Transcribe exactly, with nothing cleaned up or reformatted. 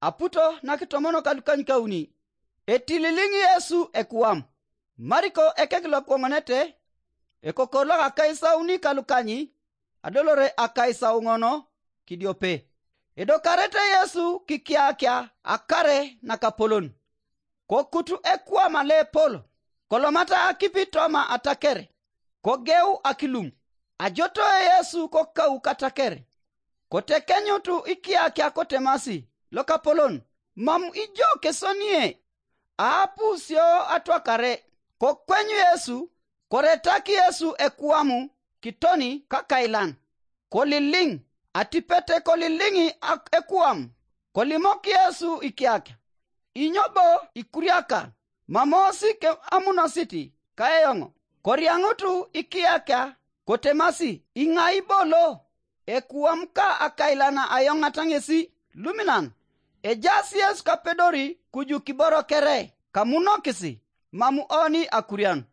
Aputo nakitomonok alukanykauni. Etililiŋ Yesu ekuwam. Mariko ekek lokoŋonete, ekokor lokakaisauni kalukany, adolore akaisauŋon kidiope. Edokarete Yesu kikiakia akare nakapolon. Kokutu ekuwam lepol, kolomata akipi toma ataker, kogeu akilum. Ajoto Yesu kokau kataker, kotekenyutu ikiakia kotemasi, lokapolon, mam ijo kesonie? Aapu sio atwakare. Kokwenyu Yesu, koretak Yesu ekuwamu kitoni kakailan. Koliliŋ. Atipet koliliŋ ak- ekuwam, kolimok Yesu ikiakia. Inyo bo ikuriaka? Mamosi ke amunosit kaeyoŋ. Koriaŋutu ikiakia kotemasi, iŋai bo lo? Ekuwam ka akailan ayoŋata ŋesi luminan. Ejaas Yesu kapedori kuju kiboro kere kamunokisi, mam oni akurian.